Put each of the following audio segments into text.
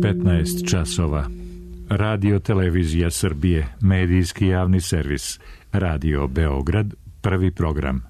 15 časova. Radio Televizija Srbije, medijski javni servis. Radio Beograd, prvi program.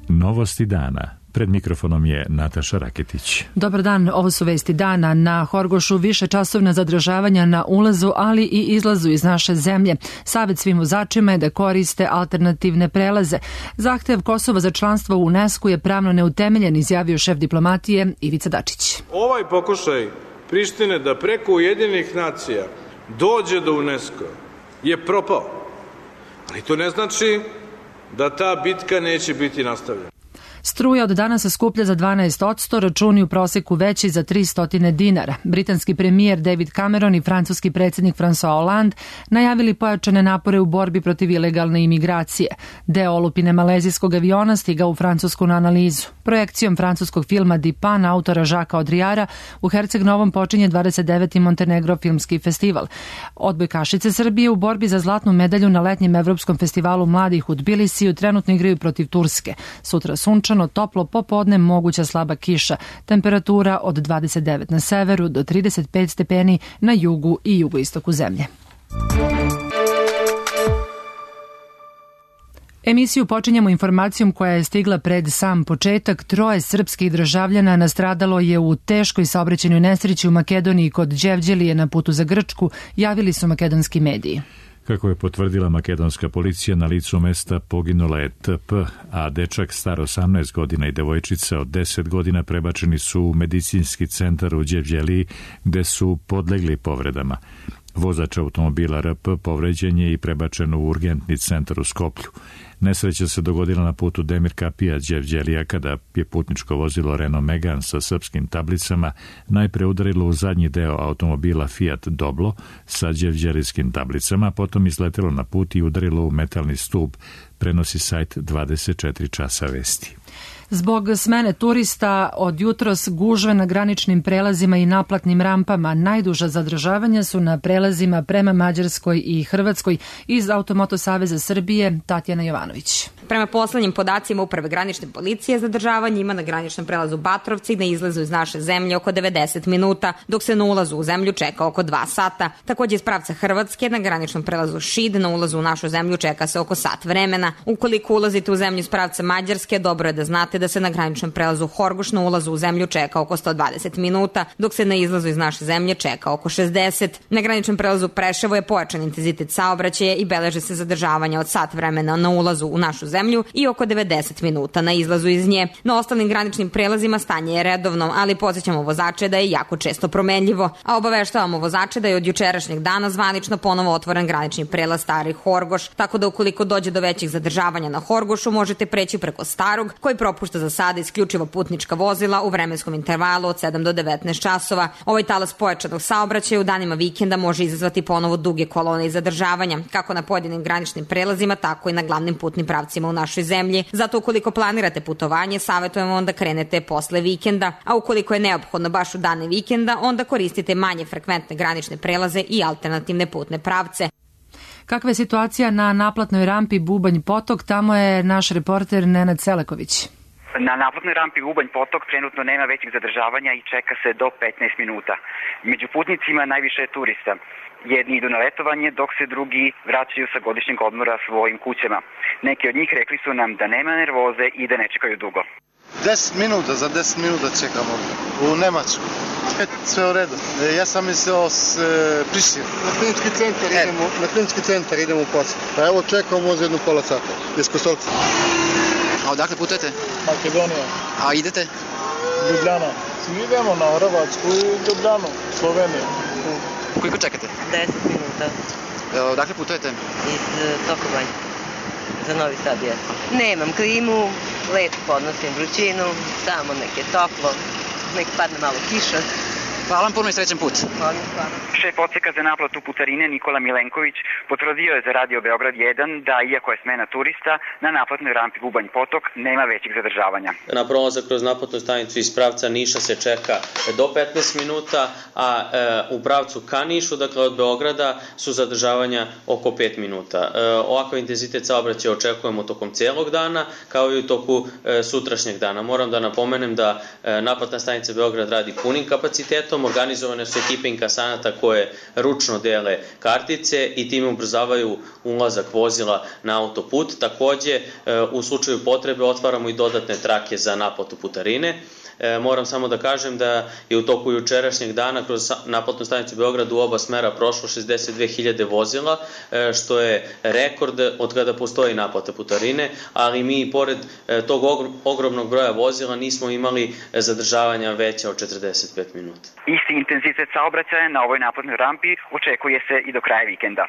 Novosti dana. Pred mikrofonom je Nataša Raketić. Dobar dan, ovo su vesti dana. Na Horgošu više časovna zadržavanja na ulazu, ali i izlazu iz naše zemlje. Savet svim vozačima je da koriste alternativne prelaze. Zahtev Kosova za članstvo u UNESCO je pravno neutemeljen, izjavio šef diplomatije Ivica Dačić. Ovaj pokušaj Prištine da preko Ujedinjenih nacija dođe do UNESCO je propao. Ali to ne znači da ta bitka neće biti nastavljena. Struja od danas se skuplja za 12%, računi u proseku veći za 300 dinara. Britanski premijer David Cameron i francuski predsjednik François Hollande najavili pojačane napore u borbi protiv ilegalne imigracije. Deo olupine malezijskog aviona stigao u Francusku na analizu. Projekcijom francuskog filma Dipan, autora Žaka Odrijara, u Herceg Novom počinje 29. Montenegro filmski festival. Odbojkašice Srbije u borbi za zlatnu medalju na letnjem evropskom festivalu mladih u Tbilisiju trenutno igraju protiv Turske. Sutra sunčano, toplo, popodne moguća slaba kiša. Temperatura od 29 na severu do 35 stepeni na jugu i jugoistoku zemlje. Emisiju počinjemo informacijom koja je stigla pred sam početak. 3 srpskih državljana nastradalo je u teškoj saobraćajnoj nesreći u Makedoniji kod Đevđelije na putu za Grčku, javili su makedonski mediji. Kako je potvrdila makedonska policija, na licu mesta poginula je TP, a dečak star 18 godina i devojčica od 10 godina prebačeni su u medicinski centar u Đevđeliji, gde su podlegli povredama. Vozač automobila RP povređen je i prebačen u urgentni centar u Skoplju. Nesreća se dogodila na putu Demir Kapija Đevđelija kada je putničko vozilo Renault Megane sa srpskim tablicama najpre udarilo u zadnji deo automobila Fiat Doblo sa đevđelijskim tablicama, potom izletelo na put i udarilo u metalni stub, prenosi sajt 24 časa vesti. Zbog smene turista od jutros gužve na graničnim prelazima i naplatnim rampama. Najduža zadržavanja su na prelazima prema Mađarskoj i Hrvatskoj. Iz Automoto saveza Srbije Tatjana Jovanović. Prema poslednjim podacima Uprave granične policije, zadržavanje ima na graničnom prelazu Batrovci na izlazu iz naše zemlje oko 90 minuta, dok se na ulazu u zemlju čeka oko 2 sata. Takođe iz pravca Hrvatske na graničnom prelazu Šid na ulazu u našu zemlju čeka se oko sat vremena. Ukoliko ulazite u zemlju iz pravca Mađarske, dobro je da znate da se na graničnom prelazu Horgoš na ulazu u zemlju čeka oko 120 minuta, dok se na izlazu iz naše zemlje čeka oko 60. Na graničnom prelazu Preševo je pojačan intenzitet saobraćaja i beleže se zadržavanja od sat vremena na ulazu u našu zemlju i oko 90 minuta na izlazu iz nje. Na ostalim graničnim prelazima stanje je redovno, ali podsjećamo vozače da je jako često promenljivo, a obaveštavamo vozače da je od jučerašnjeg dana zvanično ponovo otvoren granični prelaz Stari Horgoš, tako da ukoliko dođe do većih zadržavanja na Horgošu možete preći preko Starog, koji propušta za sada isključivo putnička vozila u vremenskom intervalu od 7 do 19 časova. Ovaj talas pojačanog saobraćaja u danima vikenda može izazvati ponovo duge kolone i zadržavanja, kako na pojedinim graničnim prelazima, tako i na glavnim putnim pravcima u našoj zemlji. Zato ukoliko planirate putovanje, savjetujemo onda krenete posle vikenda, a ukoliko je neophodno baš u dane vikenda, onda koristite manje frekventne granične prelaze i alternativne putne pravce. Kakva je situacija na naplatnoj rampi Bubanj Potok? Tamo je naš reporter Nenad Seleković. Na naplatnoj rampi Bubanj Potok trenutno nema većih zadržavanja i čeka se do 15 minuta. Među putnicima najviše je turista. Jedni idu na letovanje, dok se drugi vraćaju sa godišnjeg odmora svojim kućama. Neki od njih rekli su nam da nema nervoze i da ne čekaju dugo. 10 minuta, za 10 minuta čekamo u Nemačku. Sve u redu. Ja sam mislio s Prištine. Na klinički centar idemo u Potok. Pa evo čekamo možda jednu pola sata. Iz Kosovca. A odakle putujete? Makedonija. A idete? Ljubljana. Idemo na Hrvatsku i Ljubljanu, Sloveniju. Koliko čekate? 10 minuta. Odakle putujete? Iz Sokobanje. Za Novi Sad je. Nemam klimu, lepo podnosim vrućinu, samo nek je toplo, nek padne malo kiša. Hvala vam puno i srećan put. Šef odseka za naplatu putarine Nikola Milenković potvrdio je za Radio Beograd 1 da, iako je smena turista, na naplatnoj rampi Bubanj Potok nema većih zadržavanja. Na prolazak kroz naplatnu stanicu iz pravca Niša se čeka do 15 minuta, a u pravcu ka Nišu, dakle od Beograda, su zadržavanja oko 5 minuta. Ovakav intenzitet saobraćaja očekujemo tokom celog dana, kao i u toku sutrašnjeg dana. Moram da napomenem da naplatna stanica Beograd radi punim kapacitetom, organizovane su ekipe inkasanata koje ručno dele kartice i time ubrzavaju ulazak vozila na autoput. Takođe, u slučaju potrebe otvaramo i dodatne trake za naplatu putarine. Moram samo da kažem da je u toku jučerašnjeg dana kroz naplatnu stanicu Beograd u oba smera prošlo 62.000 vozila, što je rekord od kada postoji naplata putarine, ali mi i pored tog ogromnog broja vozila nismo imali zadržavanja veća od 45 minuta. Isti intenzitet saobraćaja na ovoj naplatnoj rampi očekuje se i do kraja vikenda.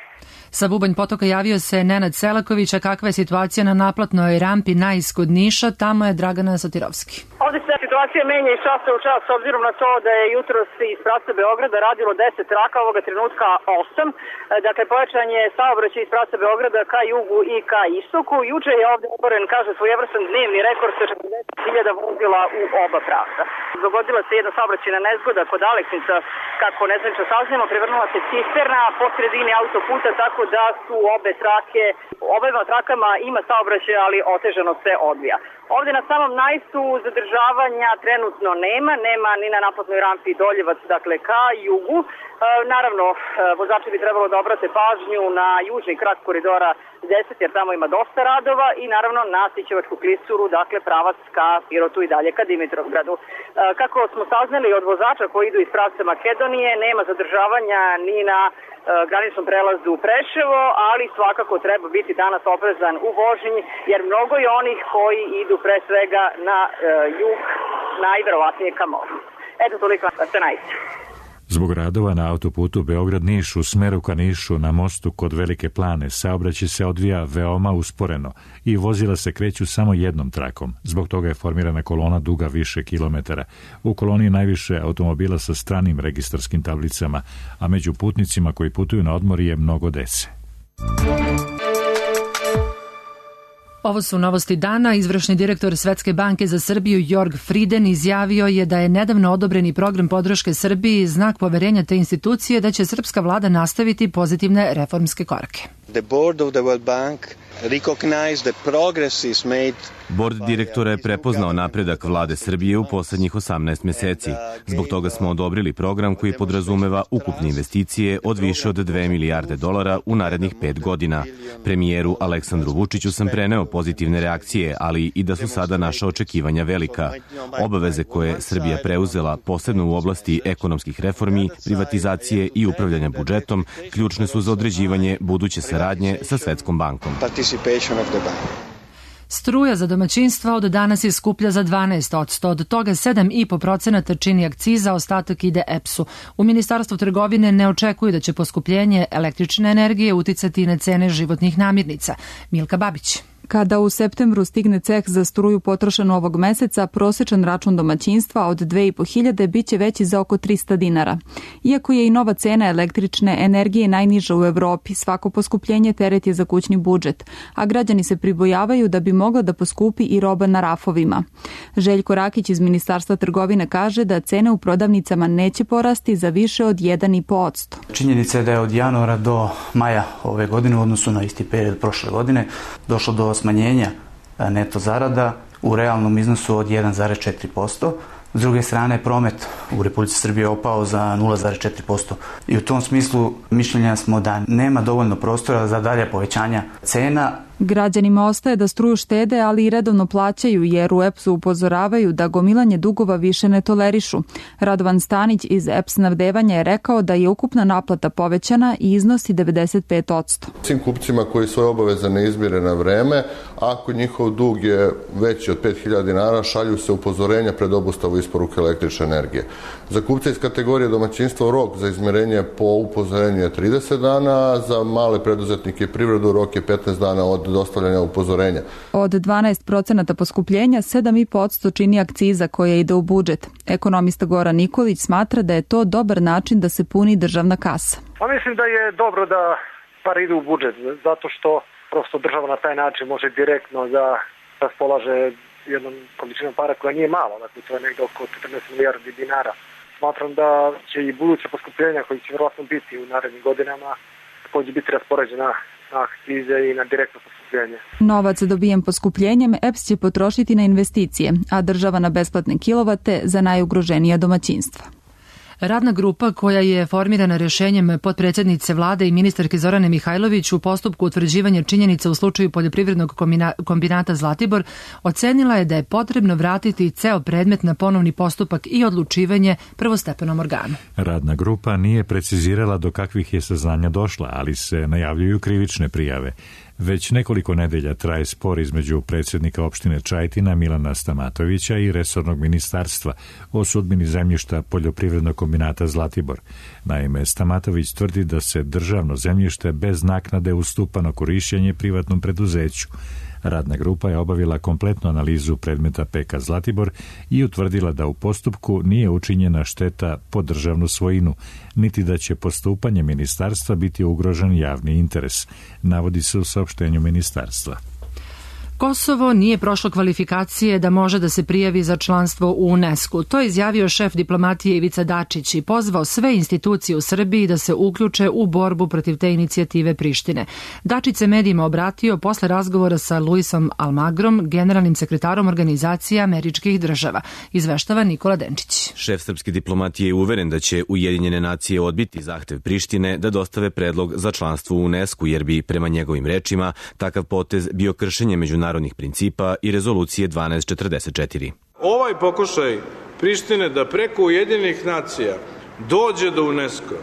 Sa Bubanj Potoka javio se Nenad Selaković, a kakva je situacija na naplatnoj rampi Najs kod Niša, tamo je Dragana Sotirovski. Ovde se situacija menja iz časa u čas, s obzirom na to da je jutros iz pravca Beograda radilo 10 traka, ovoga trenutka 8. Dakle, pojačan je saobraćaj iz pravca Beograda ka jugu i ka istoku. Juče je ovde otvoren, kaže, svojevrstan dnevni rekord sa 40.000 vozila u oba pravca. Dogodila se jedna saobraćajna nezgoda kod Aleksinca, kako nezvanično saznamo, prevrnula se cisterna po sredini autoputa, tako da su obema trakama ima saobraćaj, ali otežano se odvija. Ovde na samom Najsu zadržavanja trenutno nema ni na naplatnoj rampi Doljevac, dakle ka jugu. Naravno, vozači bi trebalo da obrate pažnju na južni krak koridora 10, jer tamo ima dosta radova, i naravno na Sićevačku klisuru, dakle pravac ka Pirotu i dalje ka Dimitrovgradu. Kako smo saznali od vozača koji idu iz pravca Makedonije, nema zadržavanja ni na graničnom prelazu Preševo, ali svakako treba biti danas oprezan u vožnji, jer mnogo je onih koji idu pre svega na jug, najverovatnije ka moru. Eto, toliko sa Najsa. Zbog radova na autoputu Beograd-Niš u smeru ka Nišu na mostu kod Velike Plane saobraćaj se odvija veoma usporeno i vozila se kreću samo jednom trakom. Zbog toga je formirana kolona duga više kilometara. U koloni je najviše automobila sa stranim registarskim tablicama, a među putnicima koji putuju na odmor je mnogo dece. Ovo su novosti dana. Izvršni direktor Svetske banke za Srbiju Jorg Frieden izjavio je da je nedavno odobreni program podrške Srbiji znak poverenja te institucije da će srpska vlada nastaviti pozitivne reformske korake. The board of the World Bank recognized the progress made. Bord direktora je prepoznao napredak vlade Srbije u poslednjih 18 meseci. Zbog toga smo odobrili program koji podrazumeva ukupne investicije od više od 2 milijarde dolara u narednih 5 godina. Premijeru Aleksandru Vučiću sam preneo pozitivne reakcije, ali i da su sada naša očekivanja velika. Obaveze koje Srbija preuzela, posebno u oblasti ekonomskih reformi, privatizacije i upravljanja budžetom, ključne su za određivanje buduće saradnje sa Svetskom bankom. Struja za domaćinstva od danas je skuplja za 12%, od toga 7,5% čini akciza, ostatak ide EPS-u. U Ministarstvu trgovine ne očekuju da će poskupljenje električne energije uticati na cene životnih namirnica. Milka Babić. Kada u septembru stigne ceh za struju potrošen ovog meseca, prosečan račun domaćinstva od 2.500 biće veći za oko 300 dinara. Iako je i nova cena električne energije najniža u Evropi, svako poskupljenje teret je za kućni budžet, a građani se pribojavaju da bi mogla da poskupi i roba na rafovima. Željko Rakić iz Ministarstva trgovine kaže da cene u prodavnicama neće porasti za više od 1,5%. Činjenica je da je od januara do maja ove godine u odnosu na isti period prošle godine došlo do smanjenja neto zarada u realnom iznosu od 1,4%. S druge strane, promet u Republici Srbiji je opao za 0,4%. I u tom smislu mišljenja smo da nema dovoljno prostora za dalje povećanja cena. Građanima ostaje da struju štede, ali i redovno plaćaju, jer u EPS-u upozoravaju da gomilanje dugova više ne tolerišu. Radovan Stanić iz EPS snabdevanja je rekao da je ukupna naplata povećana i iznosi 95%. Svim kupcima koji svoje obaveze ne izmire na vreme, ako njihov dug je veći od 5.000 dinara, šalju se upozorenja pred obustavu isporuke električne energije. Za kupce iz kategorije domaćinstva rok za izmirenje po upozorenju je 30 dana, a za male preduzetnike i privredu rok je 15 dana od dostavljanja upozorenja. Od 12% poskupljenja, 7,5% čini akciza koja ide u budžet. Ekonomista Goran Nikolić smatra da je to dobar način da se puni državna kasa. Pa mislim da je dobro da pare idu u budžet, zato što prosto država na taj način može direktno da raspolaže jednom količinom para koja nije mala, dakle to je negde oko 14 milijardi dinara. Smatram da će i buduće poskupljenja koji će vjerojatno biti u narednim godinama također biti raspoređena na akcize i na direktno poskupljenje. Novac dobijen poskupljenjem EPS će potrošiti na investicije, a država na besplatne kilovate za najugroženija domaćinstva. Radna grupa koja je formirana rješenjem potpredsjednice vlade i ministarke Zorane Mihajlović u postupku utvrđivanja činjenica u slučaju poljoprivrednog kombinata Zlatibor ocenila je da je potrebno vratiti ceo predmet na ponovni postupak i odlučivanje prvostepenom organu. Radna grupa nije precizirala do kakvih je saznanja došla, ali se najavljuju krivične prijave. Već nekoliko nedelja traje spor između predsjednika opštine Čajetina Milana Stamatovića i resornog ministarstva o sudbini zemljišta poljoprivrednog kombinata Zlatibor. Naime, Stamatović tvrdi da se državno zemljište bez naknade ustupa na korišćenje privatnom preduzeću. Radna grupa je obavila kompletnu analizu predmeta PK Zlatibor i utvrdila da u postupku nije učinjena šteta po državnu svojinu, niti da će postupanje ministarstva biti ugrožen javni interes, navodi se u saopštenju ministarstva. Kosovo nije prošlo kvalifikacije da može da se prijavi za članstvo u UNESCO. To je izjavio šef diplomatije Ivica Dačić i pozvao sve institucije u Srbiji da se uključe u borbu protiv te inicijative Prištine. Dačić se medijima obratio posle razgovora sa Luisom Almagrom, generalnim sekretarom Organizacije Američkih država. Izveštava Nikola Denčić. Šef srpske diplomatije je uveren da će Ujedinjene nacije odbiti zahtev Prištine da dostave predlog za članstvo u UNESCO, jer bi, prema njegovim rečima, takav potez bio kršenje međunarodnih principa i rezolucije 1244. Ovaj pokušaj Prištine da preko Ujedinjenih nacija dođe do UNESCO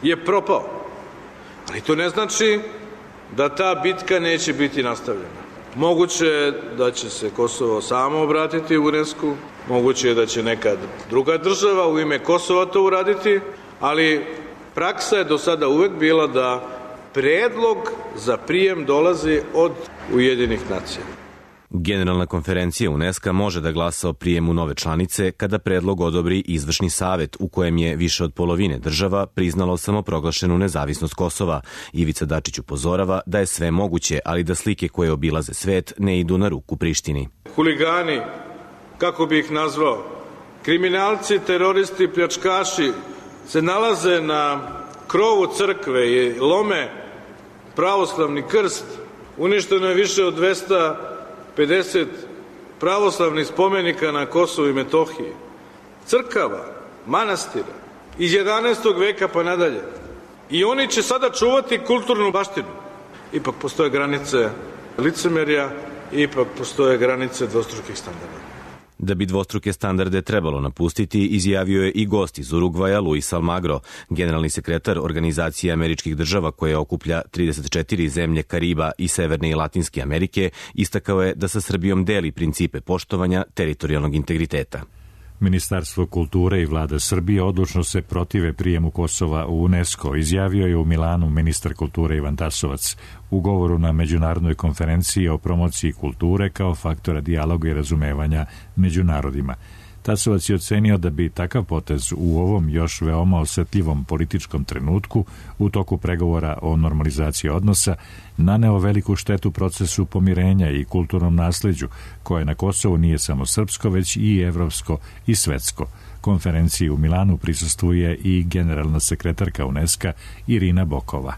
je propao. Ali to ne znači da ta bitka neće biti nastavljena. Moguće je da će se Kosovo samo obratiti u UNESCO, moguće je da će neka druga država u ime Kosova to uraditi, ali praksa je do sada uvek bila da predlog za prijem dolazi od Ujedinjenih nacija. Generalna konferencija UNESCO može da glasa o prijemu nove članice kada predlog odobri izvršni savet u kojem je više od polovine država priznalo samoproglašenu nezavisnost Kosova. Ivica Dačić upozorava da je sve moguće, ali da slike koje obilaze svet ne idu na ruku Prištini. Huligani, kako bi ih nazvao, kriminalci, teroristi, pljačkaši se nalaze na krovu crkve i lome pravoslavni krst. Uništeno je više od 250 pravoslavnih spomenika na Kosovu i Metohiji. Crkava, manastira, iz 11. veka pa nadalje. I oni će sada čuvati kulturnu baštinu. Ipak postoje granice licemerja, ipak postoje granice dvostrukih standarda. Da bi dvostruke standarde trebalo napustiti, izjavio je i gost iz Urugvaja Luis Almagro, generalni sekretar Organizacije Američkih država koja okuplja 34 zemlje Kariba i Severne i Latinske Amerike, istakao je da sa Srbijom deli principe poštovanja teritorijalnog integriteta. Ministarstvo kulture i vlada Srbije odlučno se protive prijemu Kosova u UNESCO, izjavio je u Milanu ministar kulture Ivan Tasovac u govoru na međunarodnoj konferenciji o promociji kulture kao faktora dijaloga i razumevanja među narodima. Tasovac je ocenio da bi takav potez u ovom još veoma osetljivom političkom trenutku u toku pregovora o normalizaciji odnosa naneo veliku štetu procesu pomirenja i kulturnom nasleđu, koje na Kosovu nije samo srpsko, već i evropsko i svetsko. Konferenciji u Milanu prisustvuje i generalna sekretarka UNESCO Irina Bokova.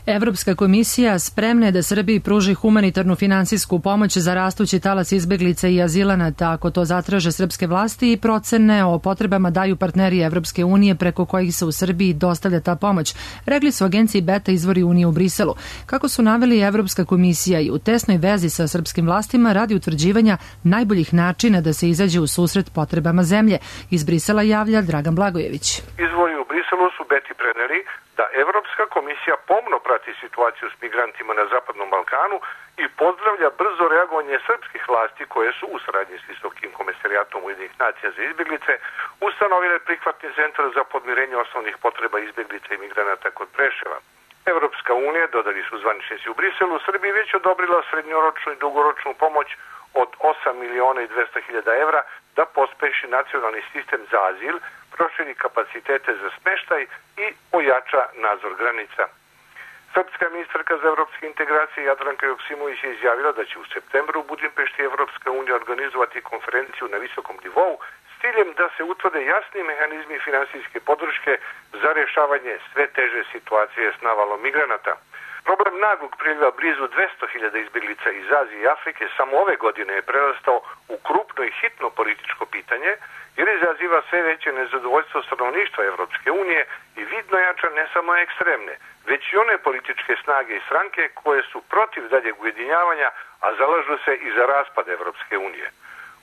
Evropska komisija spremna je da Srbiji pruži humanitarnu finansijsku pomoć za rastući talas izbeglica i azilanata ako to zatraže srpske vlasti i procene o potrebama daju partneri Evropske unije preko kojih se u Srbiji dostavlja ta pomoć, rekli su agenciji Beta izvori Unije u Briselu. Kako su naveli, Evropska komisija i u tesnoj vezi sa srpskim vlastima radi utvrđivanja najboljih načina da se izađe u susret potrebama zemlje. Iz Brisela javlja Dragan Blagojević. Izvori u Briselu su Beti preneli da Evropska komisija pomno prati situaciju s migrantima na Zapadnom Balkanu i pozdravlja brzo reagovanje srpskih vlasti koje su u saradnji s Visokim komesarijatom Ujedinjenih nacija za izbjeglice ustanovile prihvatni centar za podmirenje osnovnih potreba izbjeglica i migranata kod Preševa. Evropska unija, dodali su zvaničnici u Briselu, Srbiji već odobrila srednjoročnu i dugoročnu pomoć od 8.200.000 evra da pospeši nacionalni sistem za azil, proširi kapacitete za smeštaj i ojača nadzor granica. Srpska ministarka za evropske integracije Jadranka Joksimović je izjavila da će u septembru u Budimpešti Evropska unija organizovati konferenciju na visokom nivou s ciljem da se utvrde jasni mehanizmi finansijske podrške za rješavanje sve teže situacije s navalom migranata. Problem naglog priliva blizu 200.000 izbjeglica iz Azije i Afrike samo ove godine je prerastao u krupno i hitno političko pitanje jer izaziva sve veće nezadovoljstvo stanovništva Evropske unije i vidno jača ne samo ekstremne, već i one političke snage i stranke koje su protiv daljeg ujedinjavanja, a zalažu se i za raspad Evropske unije.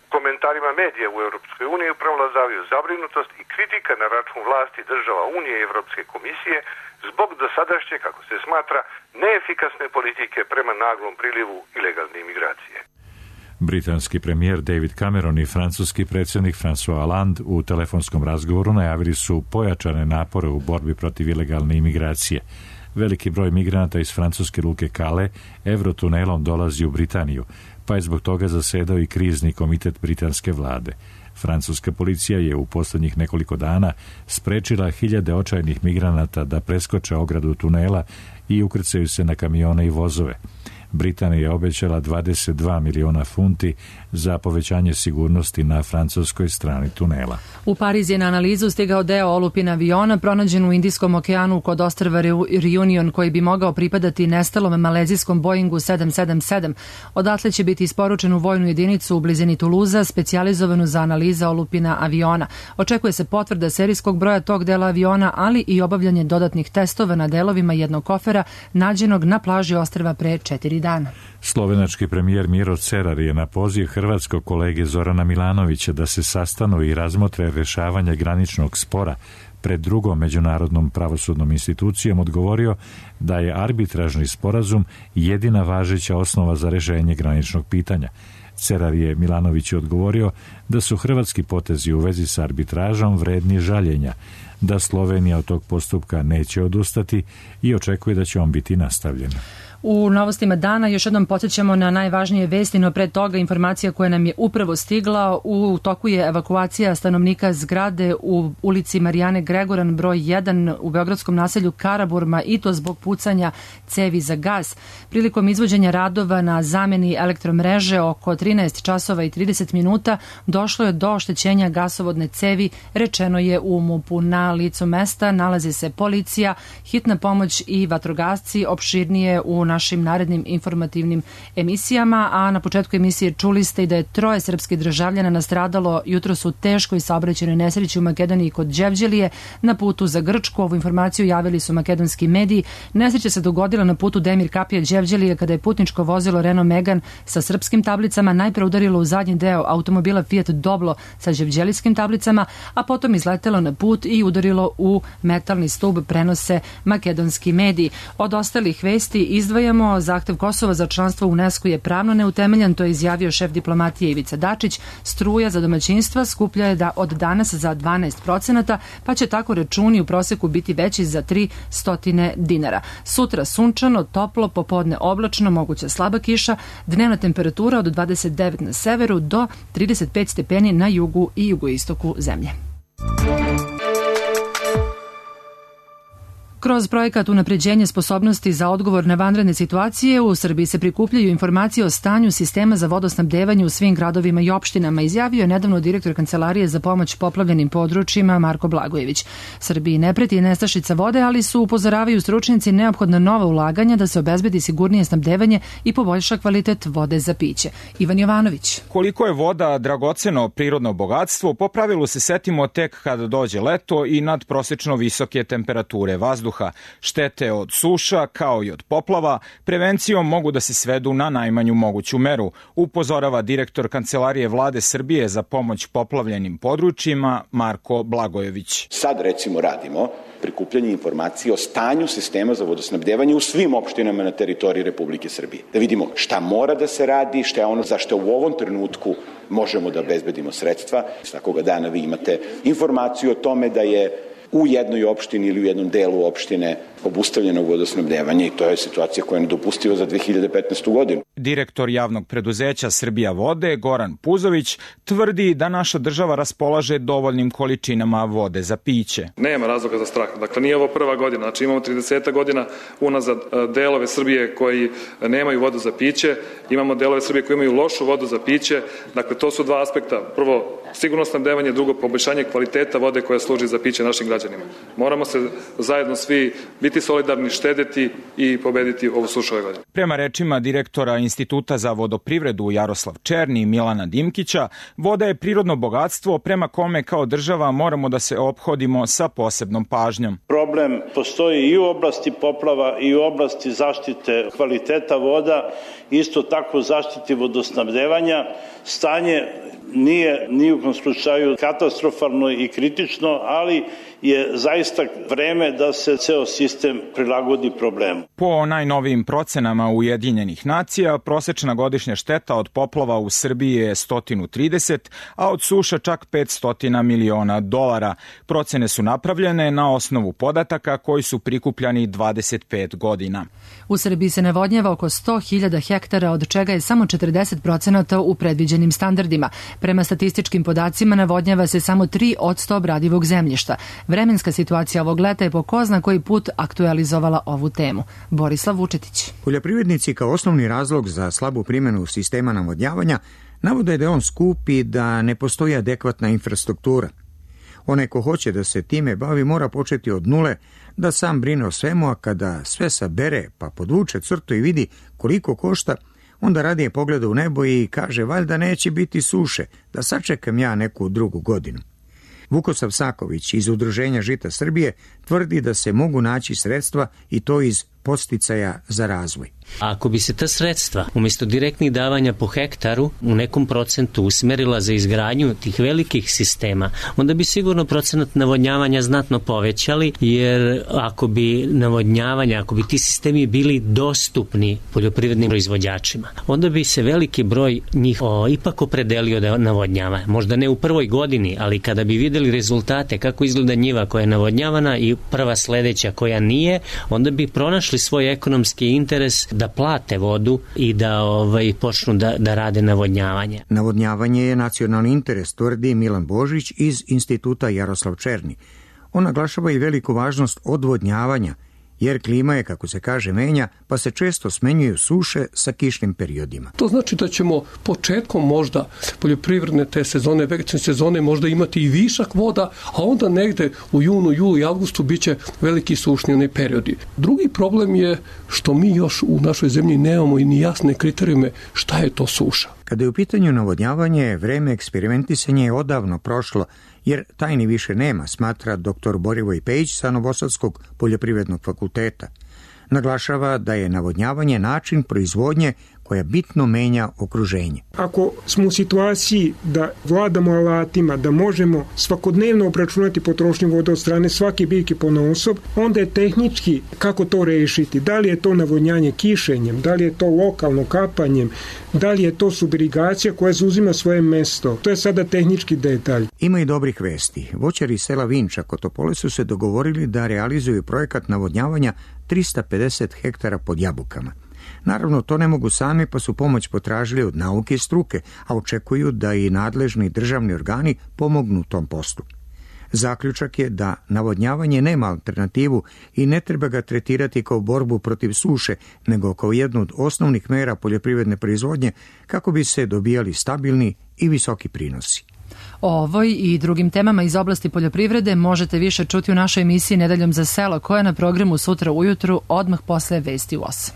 U komentarima medija u Evropskoj uniji prevladavaju zabrinutost i kritika na račun vlasti država Unije i Evropske komisije zbog dosadašnje, kako se smatra, neefikasne politike prema naglom prilivu ilegalne imigracije. Britanski premijer David Cameron i francuski predsjednik François Hollande u telefonskom razgovoru najavili su pojačane napore u borbi protiv ilegalne imigracije. Veliki broj migranata iz francuske luke Calais Eurotunelom dolazi u Britaniju, pa je zbog toga zasedao i krizni komitet britanske vlade. Francuska policija je u posljednjih nekoliko dana sprečila hiljade očajnih migranata da preskoče ogradu tunela i ukrcaju se na kamione i vozove. Britanija je obećala 22 miliona funti za povećanje sigurnosti na francuskoj strani tunela. U Pariz je na analizu stigao deo olupina aviona pronađen u Indijskom okeanu kod ostrva Reunion koji bi mogao pripadati nestalom malezijskom Boeingu 777. Odatle će biti isporučen u vojnu jedinicu u blizini Tuluza, specijalizovanu za analiza olupina aviona. Očekuje se potvrda serijskog broja tog dela aviona, ali i obavljanje dodatnih testova na delovima jednog kofera nađenog na plaži ostrva pre 4 dana. Slovenački premijer Miro Cerar je na poziv hrvatskog kolege Zorana Milanovića da se sastanu i razmotre rješavanje graničnog spora pred drugom međunarodnom pravosudnom institucijom odgovorio da je arbitražni sporazum jedina važeća osnova za rješenje graničnog pitanja. Cerar je Milanoviću odgovorio da su hrvatski potezi u vezi s arbitražom vredni žaljenja, da Slovenija od tog postupka neće odustati i očekuje da će on biti nastavljen. U novostima dana još jednom podsjećamo na najvažnije vesti, no pre toga informacija koja nam je upravo stigla. U toku je evakuacija stanovnika zgrade u ulici Marijane Gregoran broj 1 u beogradskom naselju Karaburma i to zbog pucanja cevi za gas. Prilikom izvođenja radova na zameni elektromreže oko 13 časova i 30 minuta došlo je do oštećenja gasovodne cevi, rečeno je u MUP-u. Na licu mesta nalazi se policija, hitna pomoć i vatrogasci. Opširnije u našim narednim informativnim emisijama, a na početku emisije čuli ste i da je 3 srpskih državljana nastradalo jutros u teškoj saobraćajnoj nesreći u Makedoniji kod Đevđelije na putu za Grčku. Ovu informaciju javili su makedonski mediji. Nesreća se dogodila na putu Demir Kapija Đevđelije kada je putničko vozilo Renault Megane sa srpskim tablicama najpre udarilo u zadnji deo automobila Fiat Doblo sa đevđelijskim tablicama, a potom izletelo na put i udarilo u metalni stub, prenose makedonski mediji. Od ostalih vesti izdvajamo zahtev Kosova za članstvo u UNESCO je pravno neutemeljan, to je izjavio šef diplomatije Ivica Dačić. Struja za domaćinstva skuplja je da od danas za 12%, pa će tako računi u proseku biti veći za 300 dinara. Sutra sunčano, toplo, popodne oblačno, moguća slaba kiša, dnevna temperatura od 29 na severu do 35 stepeni na jugu i jugoistoku zemlje. Kroz projekat unapređenja sposobnosti za odgovor na vanredne situacije u Srbiji se prikupljaju informacije o stanju sistema za vodosnabdevanje u svim gradovima i opštinama, izjavio je nedavno direktor Kancelarije za pomoć poplavljenim područjima Marko Blagojević. Srbiji ne preti nestašica vode, ali su, upozoravaju stručnjaci, neophodna nova ulaganja da se obezbedi sigurnije snabdevanje i poboljša kvalitet vode za piće. Ivan Jovanović. Koliko je voda dragoceno prirodno bogatstvo, po pravilu se setimo tek kada dođe leto i nadprosečno visoke temperature vazduha. Štete od suša, kao i od poplava, prevencijom mogu da se svedu na najmanju moguću meru, upozorava direktor Kancelarije Vlade Srbije za pomoć poplavljenim područjima Marko Blagojević. Sad recimo radimo prikupljanje informacije o stanju sistema za vodosnabdevanje u svim opštinama na teritoriji Republike Srbije. Da vidimo šta mora da se radi, šta je ono za što u ovom trenutku možemo da obezbedimo sredstva. Svakoga dana vi imate informaciju o tome da je u jednoj opštini ili u jednom delu opštine obustavljenog vodosnabdevanja i to je situacija koja je nedopustiva za 2015. godinu. Direktor javnog preduzeća Srbija vode, Goran Puzović, tvrdi da naša država raspolaže dovoljnim količinama vode za piće. Nema razloga za strah. Dakle, nije ovo prva godina. Znači, imamo 30 godina unazad delove Srbije koji nemaju vodu za piće. Imamo delove Srbije koji imaju lošu vodu za piće. Dakle, to su dva aspekta. Prvo, sigurno snabdevanje, drugo, poboljšanje kvaliteta vode koja služi za piće našim građanima. Moramo se zajedno svi biti solidarni, štedeti i pobediti ovu sušu ove godine. Prema rečima direktora Instituta za vodoprivredu Jaroslav Černi i Milana Dimkića, voda je prirodno bogatstvo prema kome kao država moramo da se ophodimo sa posebnom pažnjom. Problem postoji i u oblasti poplava i u oblasti zaštite kvaliteta voda, isto tako zaštiti vodosnabdevanja. Stanje nije ni u kom slučaju katastrofalno i kritično, ali je zaista vreme da se ceo sistem prilagodi problemu. Po najnovijim procenama Ujedinjenih nacija, prosečna godišnja šteta od poplava u Srbiji je 130, a od suša čak 500 miliona dolara. Procene su napravljene na osnovu podataka koji su prikupljani 25 godina. U Srbiji se navodnjava oko 100.000 hektara, od čega je samo 40% u predviđenim standardima. Prema statističkim podacima navodnjava se samo 3% obradivog zemljišta. Vremenska situacija ovog leta je po ko zna koji put aktualizovala ovu temu. Borislav Vučetić. Poljoprivrednici kao osnovni razlog za slabu primjenu sistema navodnjavanja navode da je on skup i da ne postoji adekvatna infrastruktura. Onaj ko hoće da se time bavi mora početi od nule, da sam brine o svemu, a kada sve sabere pa podvuče crtu i vidi koliko košta, onda radije pogleda u nebo i kaže valjda neće biti suše, da sačekam ja neku drugu godinu. Vukosav Saković iz Udruženja Žita Srbije tvrdi da se mogu naći sredstva i to iz podsticaja za razvoj. Ako bi se ta sredstva umjesto direktnih davanja po hektaru u nekom procentu usmerila za izgradnju tih velikih sistema, onda bi sigurno procenat navodnjavanja znatno povećali, jer ako bi ti sistemi bili dostupni poljoprivrednim proizvođačima, onda bi se veliki broj njih ipak opredelio da navodnjava. Možda ne u prvoj godini, ali kada bi videli rezultate kako izgleda njiva koja je navodnjavana i prva sledeća koja nije, onda bi pronašli svoj ekonomski interes da plate vodu i da počnu da rade navodnjavanje. Navodnjavanje je nacionalni interes, tvrdi Milan Božić iz Instituta Jaroslav Černi. On naglašava i veliku važnost odvodnjavanja, jer klima je, kako se kaže, menja, pa se često smenjuju suše sa kišnim periodima. To znači da ćemo početkom možda poljoprivredne te sezone, vegetacione sezone možda imati i višak voda, a onda negde u junu, julu i avgustu biće veliki sušni periodi. Drugi problem je što mi još u našoj zemlji nemamo i ni jasne kriterijume šta je to suša. Kada je u pitanju navodnjavanje, vreme eksperimentisanja je odavno prošlo, jer tajni više nema, smatra dr. Borivoj Pejić sa Novosadskog poljoprivrednog fakulteta. Naglašava da je navodnjavanje način proizvodnje koja bitno menja okruženje. Ako smo u situaciji da vladamo alatima, da možemo svakodnevno obračunati potrošnju vode od strane svake biljke ponaosob, onda je tehnički kako to rešiti. Da li je to navodnjanje kišenjem, da li je to lokalno kapanjem, da li je to subirigacija koja zauzima svoje mesto. To je sada tehnički detalj. Ima i dobrih vesti. Voćari sela Vinča kod Topole su se dogovorili da realizuju projekat navodnjavanja 350 hektara pod jabukama. Naravno, to ne mogu sami, pa su pomoć potražili od nauke i struke, a očekuju da i nadležni državni organi pomognu tom poslu. Zaključak je da navodnjavanje nema alternativu i ne treba ga tretirati kao borbu protiv suše, nego kao jednu od osnovnih mera poljoprivredne proizvodnje kako bi se dobijali stabilni i visoki prinosi. O ovoj i drugim temama iz oblasti poljoprivrede možete više čuti u našoj emisiji Nedeljom za selo, koja je na programu sutra ujutru odmah posle vesti u 8.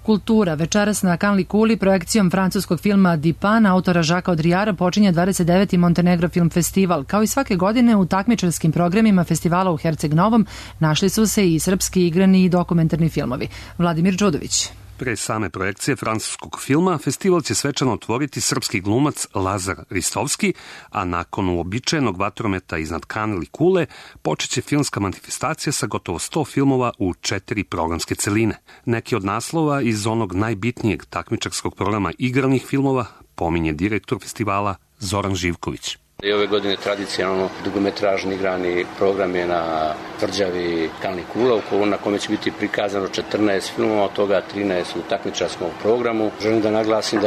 Kultura. Večeras na Kanli Kuli projekcijom francuskog filma Dipan autora Žaka Odrijara počinje 29. Montenegro Film Festival. Kao i svake godine u takmičarskim programima festivala u Herceg Novom našli su se i srpski igrani i dokumentarni filmovi. Vladimir Đudović. Pre same projekcije francuskog filma, festival će svečano otvoriti srpski glumac Lazar Ristovski, a nakon uobičajenog vatrometa iznad Kanli Kule počeće filmska manifestacija sa gotovo 100 filmova u 4 programske celine. Neki od naslova iz onog najbitnijeg takmičarskog programa igranih filmova pominje direktor festivala Zoran Živković. I ove godine tradicionalno dugometražni igrani program je na tvrđavi Kalnih kula, na kome će biti prikazano 14 filmova, od toga 13 u takmičarskom programu. Želim da naglasim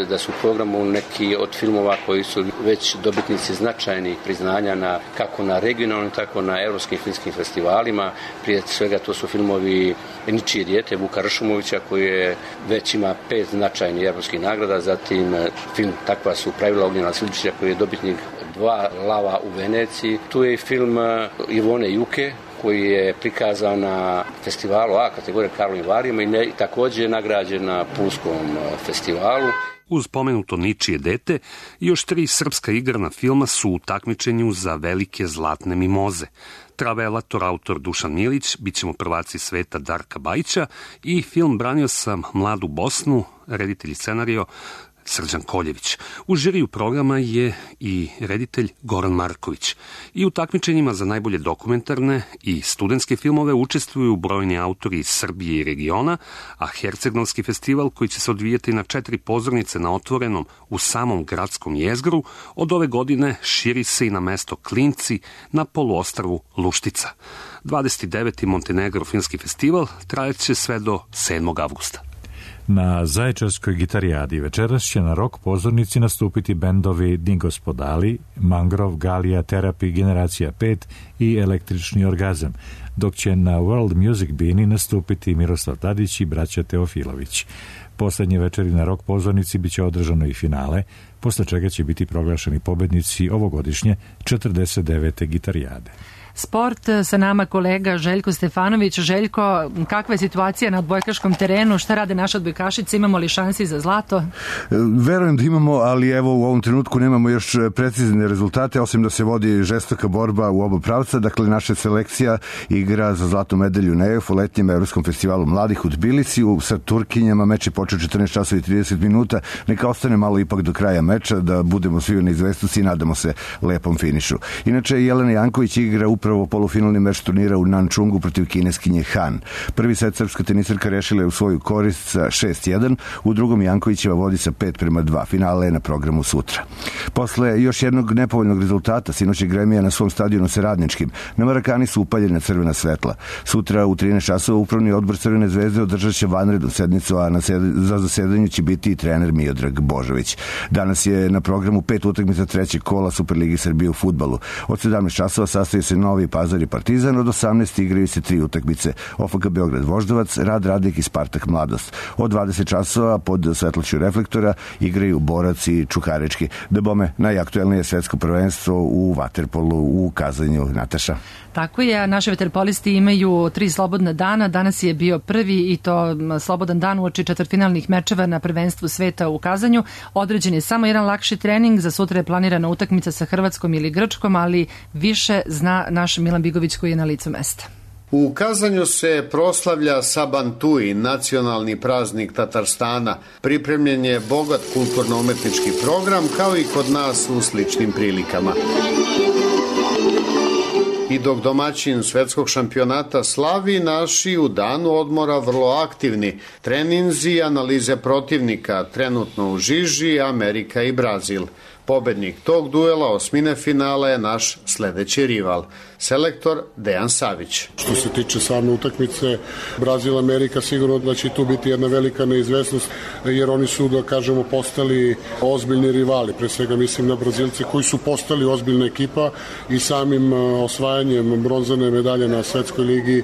da su u programu neki od filmova koji su već dobitnici značajnih priznanja kako na regionalnim, tako na evropskim filmskim festivalima. Prije svega to su filmovi Ničije dijete Vuka Ršumovića koji već ima 5 značajnih evropskih nagrada, zatim film Takva su pravila Ognjena Silčića koji je dobitnik 2 lava u Veneciji. Tu je i film Ivone Juke koji je prikazan na festivalu A kategorije Karlovim Varima i također je nagrađen na Pulskom festivalu. Uz pomenuto Ničije dete, još 3 srpska igrana filma su u takmičenju za velike zlatne mimoze. Travelator, autor Dušan Milić, Bićemo prvaci sveta Darka Bajića i film Branio sam mladu Bosnu, reditelj i scenario Srđan Koljević. U žiriju programa je i reditelj Goran Marković. I u takmičenjima za najbolje dokumentarne i studentske filmove učestvuju brojni autori iz Srbije i regiona, a Herceg-Novski festival, koji će se odvijati na 4 pozornice na otvorenom u samom gradskom jezgru, od ove godine širi se i na mesto Klinci na poluostrvu Luštica. 29. Montenegro filmski festival trajaće sve do 7. avgusta. Na Zaječarskoj gitarijadi večeras će na rock pozornici nastupiti bendovi Dingospodali, Mangrov, Galija, Terapi, Generacija 5 i Električni orgazam, dok će na World Music Bini nastupiti Miroslav Tadić i braća Teofilović. Poslednje večeri na rock pozornici biće održano i finale, posle čega će biti proglašeni pobednici ovogodišnje 49. gitarijade. Sport, sa nama kolega Željko Stefanović. Željko, kakva je situacija na odbojkaškom terenu? Šta rade naše odbojkašice? Imamo li šansi za zlato? Verujem da imamo, ali evo u ovom trenutku nemamo još precizne rezultate, osim da se vodi žestoka borba u oba pravca. Dakle, naša selekcija igra za zlatnu medalju na EF u letnjem Evropskom festivalu mladih u Tbilisiju sa Turkinjama. Meč je počeo 14 časova i 30 minuta. Neka ostane malo ipak do kraja meča, da budemo svi u neizvesnosti i nadamo se lepom finišu. Inače, Jelena Janković igra upravo polufinalni meč turnira u Nančungu protiv kineskinje Han. Prvi set srpska tenisarka rešila je u svoju korist sa 6-1, u drugom Jankovićeva vodi sa 5-2. Finale je na programu sutra. Posle još jednog nepovoljnog rezultata, sinoć je Gremija na svom stadionu sa Radničkim. Na Marakani su upaljena crvena svetla. Sutra u 13 časova upravni odbor Crvene zvezde održat će vanrednu sednicu, a za zasedanju će biti i trener Miodrag Božović. Danas je na programu 5 utakmica trećeg kola Superligi Srbije u fudbalu. Od 17 časova sastaje se Novi Pazar i Partizan, od 18 igraju se 3 utakmice. OFK Beograd Voždovac, Rad Radnik i Spartak Mladost. Od 20 časova pod svetlošću reflektora igraju Borac i Čukarički. Da bome, najaktuelnije svetsko prvenstvo u vaterpolu u Kazanju. Nataša. Tako je, naši vaterpolisti imaju 3 slobodna dana. Danas je bio prvi i to slobodan dan uoči četvrtfinalnih mečeva na prvenstvu sveta u Kazanju. Određen je samo jedan lakši trening, za sutra je planirana utakmica sa Hrvatskom ili Grčkom, ali više zna naš Milan Bigović koji je na licu mesta. U Kazanju se proslavlja Sabantuj, nacionalni praznik Tatarstana. Pripremljen je bogat kulturno-umetnički program, kao i kod nas u sličnim prilikama. I dok domaćin svetskog šampionata slavi, naši u danu odmora vrlo aktivni. Treninzi i analize protivnika, trenutno u žiži Amerika i Brazil. Pobednik tog duela osmine finala je naš sledeći rival, selektor Dejan Savić. Što se tiče same utakmice Brazil-Amerika, sigurno da će tu biti jedna velika neizvesnost, jer oni su, da kažemo, postali ozbiljni rivali. Pre svega mislim na Brazilce koji su postali ozbiljna ekipa i samim osvajanjem bronzane medalje na Svetskoj ligi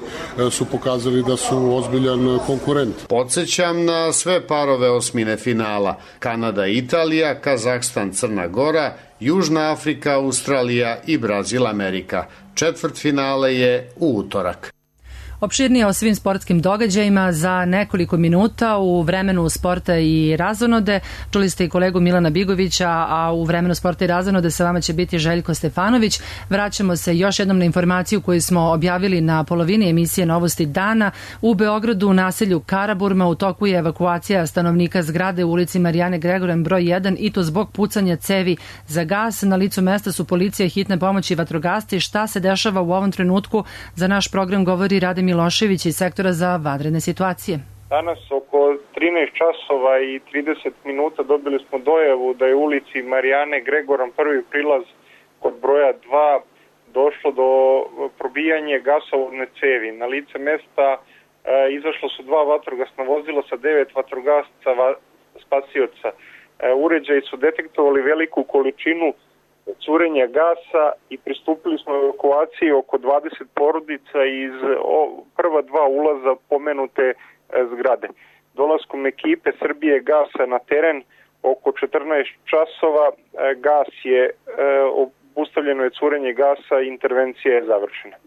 su pokazali da su ozbiljan konkurent. Podsećam na sve parove osmine finala: Kanada-Italija, Kazahstan-Crna Gora, Južna Afrika, Australija i Brazil-Amerika. Četvrtfinale je u utorak. Opširnije o svim sportskim događajima za nekoliko minuta u vremenu sporta i razonode. Čuli ste i kolegu Milana Bigovića, a u vremenu sporta i razonode sa vama će biti Željko Stefanović. Vraćamo se još jednom na informaciju koju smo objavili na polovini emisije Novosti dana. U Beogradu, u naselju Karaburma, u toku je evakuacija stanovnika zgrade u ulici Marijane Gregoran broj 1 i to zbog pucanja cevi za gas. Na licu mesta su policija, hitne pomoći i vatrogasci. Šta se dešava u ovom trenutku? Za naš program govori Rade Milošević iz sektora za vanredne situacije. Danas oko 13 časova i 30 minuta dobili smo dojavu da je u ulici Marijane Gregoran prvi prilaz kod broja 2 došlo do probijanja gasovodne cevi. Na lice mesta izašlo su 2 vatrogasna vozila sa 9 vatrogasca spasioca. Uređaji su detektovali veliku količinu curenja gasa i pristupili smo evakuaciji oko 20 porodica iz prva 2 ulaza pomenute zgrade. Dolaskom ekipe Srbije gasa na teren oko 14 časova gas je obustavljeno je curenje gasa i intervencija je završena.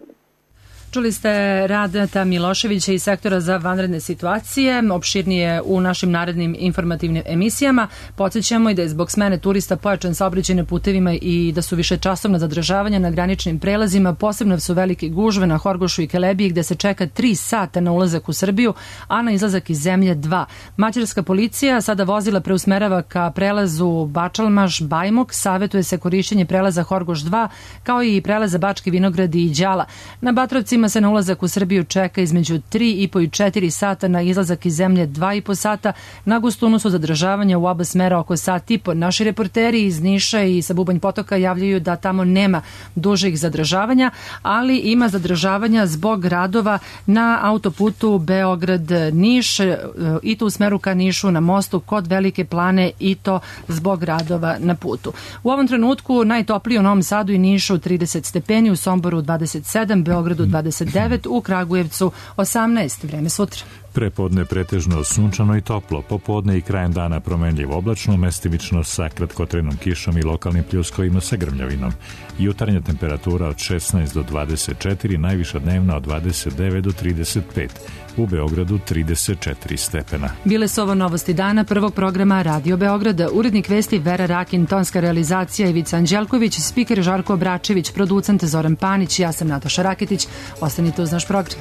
Čuli ste Radeta Miloševića iz sektora za vanredne situacije, opširnije u našim narednim informativnim emisijama. Podsjećamo i da je zbog smene turista pojačan saobraćaj na putevima i da su višečasovna zadržavanja na graničnim prelazima. Posebno su velike gužve na Horgošu i Kelebiji gde se čeka 3 sata na ulazak u Srbiju, a na izlazak iz zemlje 2. Mađarska policija sada vozila preusmerava ka prelazu Bačalmaš-Bajmok, savetuje se korišćenje prelaza Horgoš 2 kao i prelaza Bački Vinogradi i Đala. Na Batrovcima se na ulazak u Srbiju čeka između 3,5 i 4 sata, na izlazak iz zemlje 2,5 sata. Na Gustunu su zadržavanja u oba smera oko sat i po. Naši reporteri iz Niša i sa Bubanj Potoka javljaju da tamo nema dužih zadržavanja, ali ima zadržavanja zbog radova na autoputu Beograd-Niš i to u smeru ka Nišu na mostu kod Velike Plane i to zbog radova na putu. U ovom trenutku najtoplije u Novom Sadu i Nišu 30 stepeni, u Somboru 27, Beogradu 29, u Kragujevcu 18. Vreme sutra. Prepodne pretežno sunčano i toplo, popodne i krajem dana promenljivo oblačno, mestimično sa kratkotrenom kišom i lokalnim pljuskovima sa grmljavinom. Jutarnja temperatura od 16 do 24, najviša dnevna od 29 do 35. U Beogradu 34 stepena. Bile su ovo novosti dana prvog programa Radio Beograda. Urednik vesti Vera Rakin, tonska realizacija Ivica Anđelković, spiker Žarko Obračević, producent Zoran Panić, ja sam Nataša Raketić. Ostanite uz naš program.